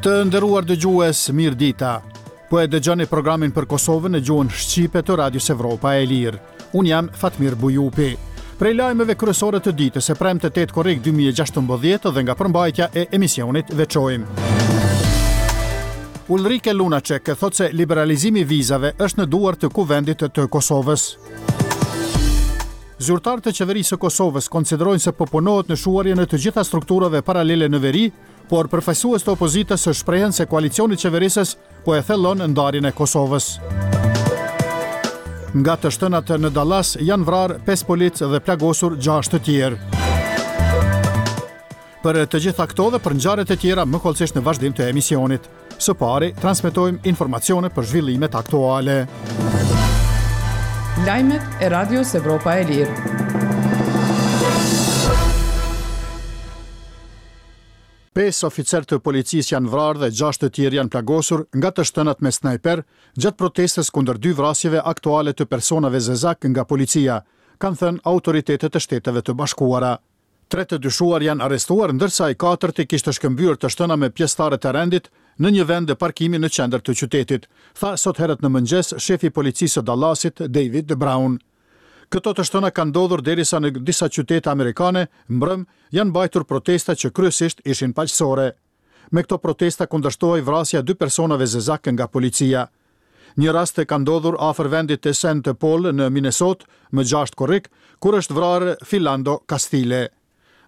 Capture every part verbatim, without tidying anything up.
Të nderuar dëgjues, mirë dita. Po e dëgjoni programin për Kosovën në gjuhën shqipe të Radios Evropa e Lirë. Unë jam Fatmir Bujupi. Prej lajmeve kryesore të ditës e premte tetë korrik dy mijë e gjashtëmbëdhjetë dhe nga përmbajtja e emisionit veçojmë: Ulrike Lunacek thot se liberalizimi i vizave është në duar të Kuvendit të Kosovës. Zyrtarët të qeverisë së Kosovës konsiderojnë se po punohet në shuarjen e të gjitha strukturave paralele në veri, por përfaqësues të opozitës shprehen se koalicioni qeverisës po e thellon ndarjen e Kosovës. Nga të shtënat në Dallas janë vrarë pesë policë dhe plagosur gjashtë të tjerë. Për të gjitha këto dhe për ngjarjet e tjera më hollësisht në vazhdim të emisionit. Së pari, transmetojmë informacione për zhvillimet aktuale. Lajmet e Radios Evropa e Lirë. Pesë oficerë të policisë janë vrarë dhe gjashtë të tjerë janë plagosur nga të shtënat me snajper gjatë protestës kundër dy vrasjeve aktuale të personave zezak nga policia, kanë thënë autoritetet e Shteteve të Bashkuara. Tre të dyshuar janë arrestuar, ndërsa i katërti kishte shkëmbyer të shtëna me pjesëtarët e rendit në një vend parkimi në qendër të qytetit, tha sot herët në mëngjes shefi i policisë së Dallasit, David Brown. Këto të shtëna kanë ndodhur derisa në disa qytete amerikane mbrëm janë mbajtur protesta që kryesisht ishin paqësore. Me këto protesta kundërshtohej vrasja e dy personave zezak nga policia. Një rast ka ndodhur afër vendit të Saint Paul në Minnesota më gjashtë korrik, kur është vrarë Philando Castile.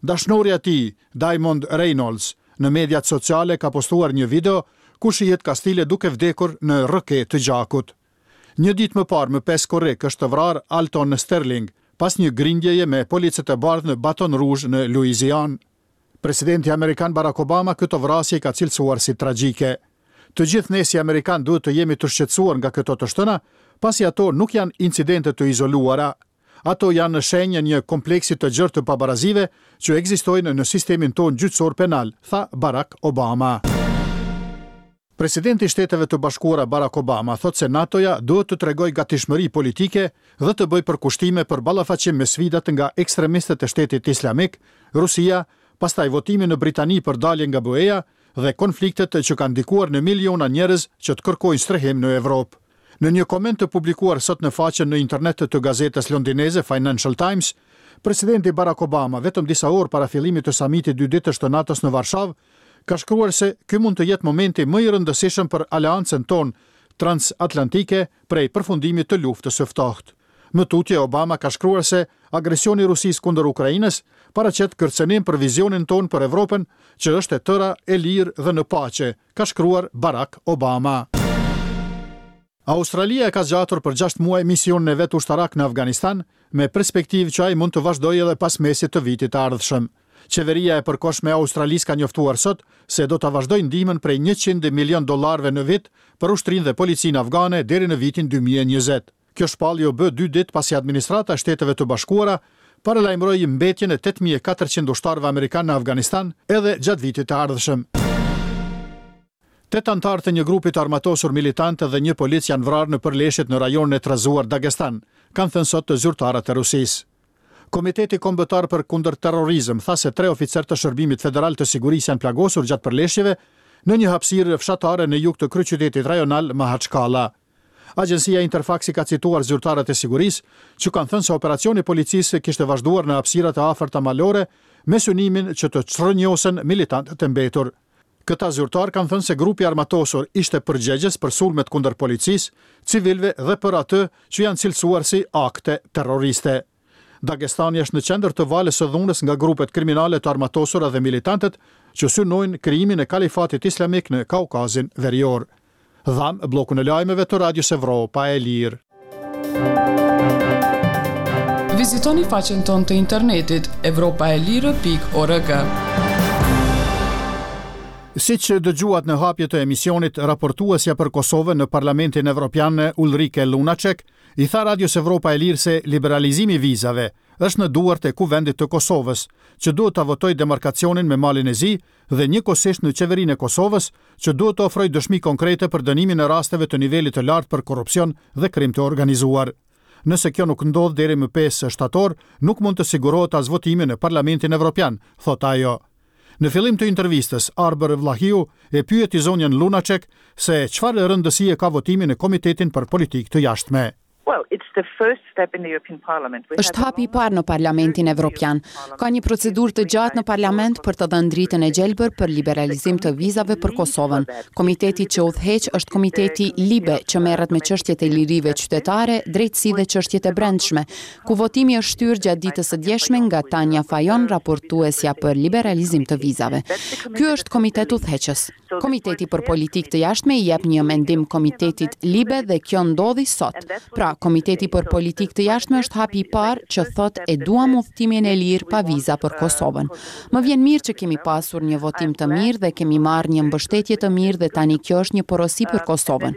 Dashnorja e tij, Diamond Reynolds, në mediat sociale ka postuar një video ku shihet Castile duke vdekur në rrëke të gjakut. Një ditë më parë, më pesë korrik, është vrarë Alton Sterling pas një grindjeje me policët e bardhë në Baton Rouge në Louisiana. Presidenti amerikan Barack Obama këto vrasje ka cilësuar si tragjike. "Të gjithë ne si amerikan duhet të jemi të shqetësuar nga këto të shtëna, pasi ato nuk janë incidente të izoluara. Ato janë në shenjë një kompleksi të gjerë të pabarazive që ekzistojnë në sistemin tonë gjyqësor penal", tha Barack Obama. Presidenti i Shteteve të Bashkuara Barack Obama thotë se NATO-ja duhet të tregojë gatishmëri politike dhe të bëjë përkushtime për ballafaqim me sfidat nga ekstremistët e Shtetit Islamik, Rusia, pastaj votimi në Britani për dalje nga B E-ja dhe konfliktet që kanë ndikuar në miliona njerëz që të kërkojnë strehim në Evropë. Në një koment të publikuar sot në faqen në internet të gazetës londineze Financial Times, presidenti Barack Obama, vetëm disa orë para fillimit të samitit dy ditësh të NATO-s në Varshavë, ka shkruar se ky mund të jetë momenti më i rëndësishëm për aleancën tonë transatlantike prej përfundimit të Luftës së Ftohtë. Më tutje, Obama ka shkruar se agresioni i Rusisë kundër Ukrainës paraqet kërcënim për vizionin tonë për Evropën, që është e tëra e lirë dhe në paqe, ka shkruar Barack Obama. Australia e ka zgjatur për gjashtë muaj misionin e vet ushtarak në Afganistan, me perspektivë që ai mund të vazhdojë edhe pas mesit të vitit të ardhshëm. Qeveria e përkohshme e Australisë ka njoftuar sot se do ta vazhdojë ndihmën prej njëqind milion dollarëve në vit për ushtrinë dhe policinë afgane deri në vitin dy mijë e njëzet. Kjo shpallje u bë dy ditë pasi administrata e Shteteve të Bashkuara paralajmëroi mbetjen e tetë mijë e katërqind ushtarëve amerikanë në Afganistan edhe gjatë vitit të ardhshëm. Tetë anëtarë të një grupi të armatosur militant dhe një polic janë vrarë në përleshjet në rajonin e trazuar Dagestan, kanë thënë sot të zyrtarët e Rusisë. Komiteti Kombëtar për Kundër Terrorizëm tha se tre oficerë të Shërbimit Federal të Sigurisë janë plagosur gjatë përleshjeve në një hapësirë fshatare në jug të kryeqytetit rajonal Mahachkala. Agjencia Interfax i ka cituar zyrtarët e sigurisë që kanë thënë se operacioni i policisë kishte vazhduar në hapësirat e afërta malore me synimin që të çrrënjosen militantët e mbetur. Këta zyrtar kanë thënë se grupi armatosur ishte përgjegjës për sulmet kundër policisë, civilve dhe për atë që janë cilësuar si akte terroriste. Dagestani është në qendër të valës së dhunës nga grupet kriminale të armatosura dhe militantët që synojnë krijimin e Kalifatit Islamik në Kaukazin Verior. Dhamë bllokun e lajmeve të Radios Evropa e Lirë. Vizitoni faqen tonë të internetit evropaelire pikë org. Si që dëgjuat në hapje të emisionit, raportuesja për Kosovën në Parlamentin Evropian Ulrike Lunacek i tha Radios Evropa e Lirë se liberalizimi i vizave është në duart e Kuvendit të Kosovës, që duhet ta votojë demarkacionin me Malin e Zi dhe njëkohësisht në qeverinë e Kosovës, që duhet të ofrojë dëshmi konkrete për dënimin e rasteve të nivelit të lartë për korrupsion dhe krim të organizuar. "Nëse kjo nuk ndodh deri më pesë shtator, nuk mund të sigurohet as votimi në Parlamentin Evropian", thotë ajo. Në fillim të intervistës, Arbër Vllahiu e pyeti zonjën Lunacek se çfarë rëndësie ka votimi në Komitetin për Politikë të Jashtme. Well, it's the first step in the European Parliament. We Është hapi i parë në Parlamentin Evropian. Ka një procedurë të gjatë në Parlament për të dhënë dritën e gjelbër për liberalizim të vizave për Kosovën. Komiteti që udhëheq është Komiteti LIBE, që merret me çështjet e lirive qytetare, drejtësi dhe çështjet e brendshme, ku votimi është shtyrë gjatë ditës së djeshme nga Tanja Fajon, raportuesja për liberalizim të vizave. Ky është komitet udhëheqës. Komiteti për Politikë të Jashtme i jep një mendim Komitetit LIBE dhe kjo ndodhi sot. Pra, Komiteti për Politikë të Jashtme është hapi i parë që thot e duam udhëtimin e lirë pa viza për Kosovën. Më vjen mirë që kemi pasur një votim të mirë dhe kemi marrë një mbështetje të mirë dhe tani kjo është një porosi për Kosovën.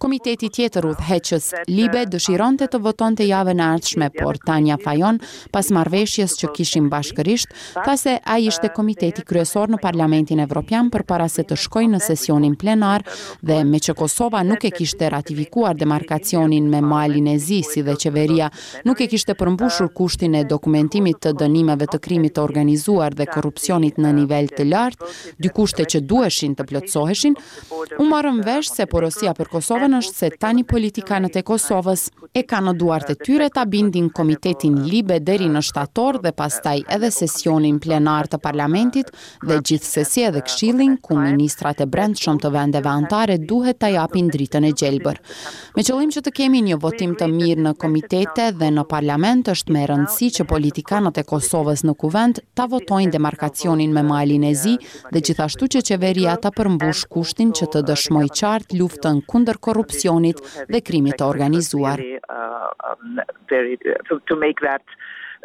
Komiteti tjetër udhëheqës Libe dëshironte të votonte javën e ardhshme, por Tanja Fajon, pas marrëveshjes që kishim bashkërisht, tha se ai ishte komiteti kryesor në Parlamentin Evropian përpara se të shkojë në sesionin plenar dhe me që Kosova nuk e kishte ratifikuar demarkacionin me Malin e Zi, si dhe qeveria nuk e kishte përmbushur kushtin e dokumentimit të dënimeve të krimit të organizuar dhe korrupsionit në nivel të lartë, dy kushte që duheshin të plotësoheshin, u morëm vesh se porosia për Kosovën është se tani politikanët e Kosovës e kanë në duart e tyre ta bindin komitetin Libe deri në shtator dhe pastaj edhe sesionin plenar të parlamentit dhe gjithsesi edhe këshillin ku ministrat e brendshëm të vendeve anëtare duhet ta japin dritën e gjelbër. Me qëllim që të kemi një votim të mirë në komitete dhe në parlament është me rëndësi që politikanët e Kosovës në kuvend ta votojnë demarkacionin me Malin e Zi dhe gjithashtu që qeveria ta përmbush kushtin që të dëshmojë qartë luftën kundër korrupsionit dhe krimit të organizuar. Uh, um, very, to, to make that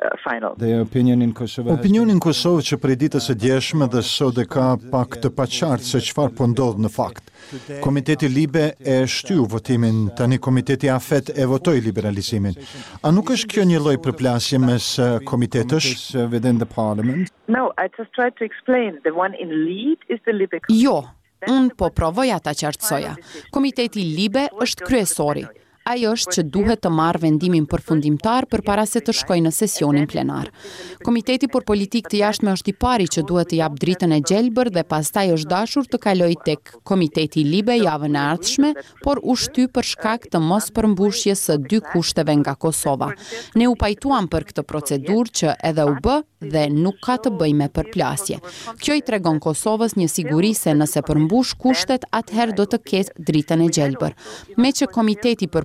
uh, final. The opinion in Kosovo has Opinioni në Kosovë që prej ditës së djeshme dhe sot e ka pak të paqartë se çfarë po ndodh në fakt. Komiteti Libe e shtyu votimin, tani Komiteti AFET e votoi liberalizimin. A nuk është kjo një lloj përplasje mes eh, komitetësh? uh, within the parliament. No, I just tried to explain. The one in lead is the Libe. Jo, unë po provoja ta qartësoja. Komiteti Libe është kryesori. Ai është që duhet të marrë vendimin përfundimtar përpara se të shkojë në sesionin plenar. Komiteti për Politikë të Jashtme është i pari që duhet të japë dritën e gjelbër dhe pastaj është dashur të kalojë tek Komiteti Libe javën e ardhshme, por u shty për shkak të mos përmbushjes së dy kushteve nga Kosova. Ne u pajtuam për këtë procedurë që edhe u bë dhe nuk ka të bëjë me përplasje. Kjo i tregon Kosovës një siguri se nëse përmbush kushtet, atëherë do të ketë dritën e gjelbër. Me që Komiteti për